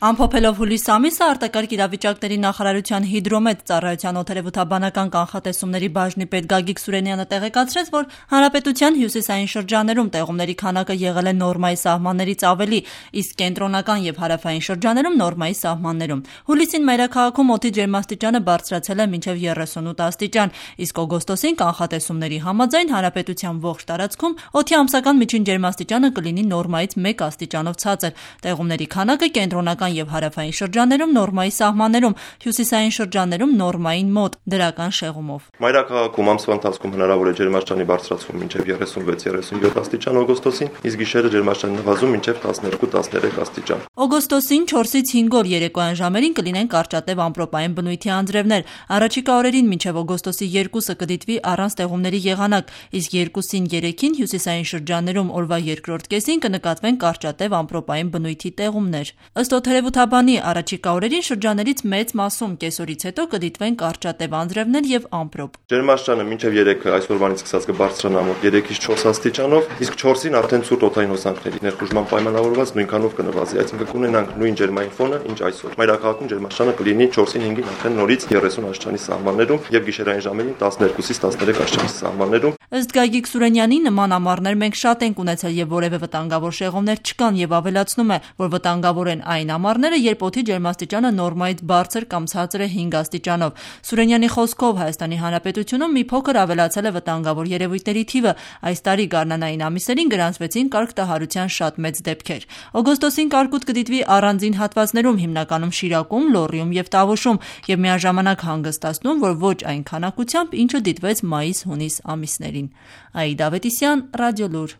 Ամփոփելով հուլիս ամիսը արտակարգ իրավիճակների նախարարության հիդրոմետ ծառայության օդերևութաբանական կանխատեսումների բաժնի պետ Գագիկ Սուրենյանը տեղեկացրեց, որ հանրապետության հյուսիսային շրջաներում տեղումների քանակը եղել է նորմայի սահմաններից ավելի, իսկ կենտրոնական եւ հարավային շրջաներում նորմայի սահմաններում։ Հուլիսին մայրաքաղաքում օդի ջերմաստիճանը բարձրացել է մինչև 38 աստիճան, իսկ օգոստոսին կանխատեսումների համաձայն հանրապետության ողջ տարածքում օդի ամսական միջին ջերմաստիճանը կլինի նորմայից 1 աստիճանով ցածր։ Տեղումների քանակը կենտրոնական եւ հարավային շրջաներում նորմայի սահմաններում, հյուսիսային շրջաներում նորմային մոտ դրական շեղումով։ Մայրաքաղաքում ամսվա ընթացքում հնարավոր է ջերմաստիճանի բարձրացում մինչև 36-37 աստիճան օգոստոսին, իսկ գիշերը ջերմաստիճանի նվազում մինչև 12-13 աստիճան։ Օգոստոսին 4-ից 5 օր երեկոյան ժամերին կլինեն կարճատև ամպրոպային բնույթի անձրևներ։ Առաջիկա օրերին մինչև օգոստոսի 2-ը կդիտվի առանց տեղումների եղանակ, իսկ 2-ին 3-ին հյուսիսային շրջաներում օրվա երկրորդ կեսին կնկատվեն կարճատև ամպրոպային բնույթի տեղումներ։ Ըստ օդերևութաբանի առաջիկա օրերին շրջաներից մեծ մասում կեսօրից հետո կդիտվեն կարճատև անձրևներ եւ ամպրոպ։ Ջերմաստիճանը մինչև 3-ը այսօրվանից սկսած կբարձրանա մոտ 3-ից 4 աստիճանով, իսկ 4-ին արդեն ցուրտ օդային հոսանքների ներխուժման պայմանավորված նույնքանով կնվազի, այսինքն կունենանք նույն ջերմային ֆոնը, ինչ այսօր։ Մայրաքաղաքում ջերմաստիճանը կլինի 4-ին 5-ին արդեն նորից 30 աստիճանի սահմաններում եւ գիշերային ժամերին 12-ից 13 աստիճանի սահմաններում։ Ըստ Գագիկ Սուրենյանի, նման ամառներ մենք շատ ենք ունեցել եւ որևէ վտանգավոր շեղումներ չկան եւ ավելացնում է, որ վտանգավոր են այն ամառները, երբ օդի ջերմաստիճանը նորմայից բարձր կամ ցածր է 5 աստիճանով։ Սուրենյանի խոսքով Հայաստանի Հանրապետությունում մի փոքր ավելացել է վտանգավոր երևույթների թիվը։ Այս տարի գարնանային ամիսերին գրանցվեցին կարգտահարության շատ մեծ դեպքեր։ Օգոստոսին կարկուտ կդիտվի առանձին հատվածներում, հիմնականում Շիրակում, Լոռիում եւ Տավուշում, եւ միաժամանակ հանգստացնում, որ ոչ այն քանակությամբ, ինչը դիտվեց մայիս-հունիս ամիսներին։ Աիդա Ավետիսյան, Ռադիոլուր։